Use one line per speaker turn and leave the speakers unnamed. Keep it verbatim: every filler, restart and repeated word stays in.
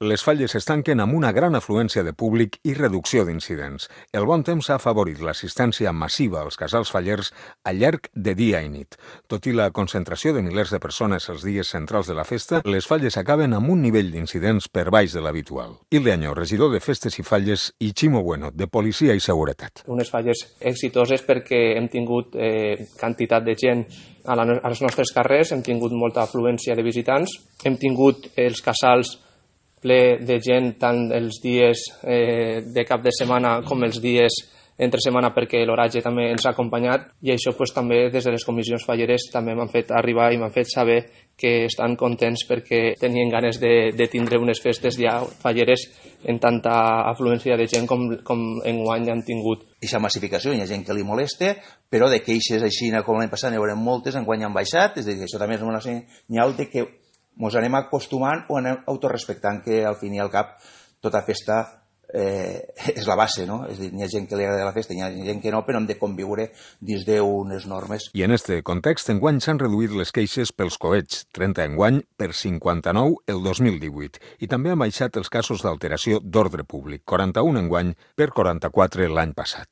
Les Falles es tanquen amb una gran afluència de públic i reducció d'incidents. El bon temps ha afavorit l'assistència massiva als casals fallers al llarg de dia i nit. Tot i la concentració de milers de persones els dies centrals de la festa, les Falles acaben amb un nivell d'incidents per baix de l'habitual. Hilde Añó, regidor de Festes i Falles, i Ximo Bueno, de Policia i Seguretat.
Unes falles exitoses perquè hem tingut eh, quantitat de gent a, la, a les nostres carrers, hem tingut molta afluència de visitants, hem tingut els casals ple de gent tant els dies eh, de cap de setmana com els dies entre setmana perquè l'oratge també ens ha acompanyat i això pues, també des de les comissions falleres també m'han fet arribar i m'han fet saber que estan contents perquè tenien ganes de, de tindre unes festes ja falleres en tanta afluència de gent com, com enguany han tingut.
Aquesta massificació, hi ha gent que li molesta, però de queixes així com l'any passat n'hi haurem moltes, enguany han baixat, és a dir, això també és una senyal de que ens anem acostumant o anem autorrespectant que al fin i al cap tota festa eh, és la base, no? És a dir, hi ha gent que li agrada la festa, hi ha gent que no, però hem de conviure dins d'unes normes.
I en este context, enguany s'han reduït les queixes pels coets, trenta enguany per cinquanta-nou el dos mil divuit, i també han baixat els casos d'alteració d'ordre públic, quaranta-un enguany per quaranta-quatre l'any passat.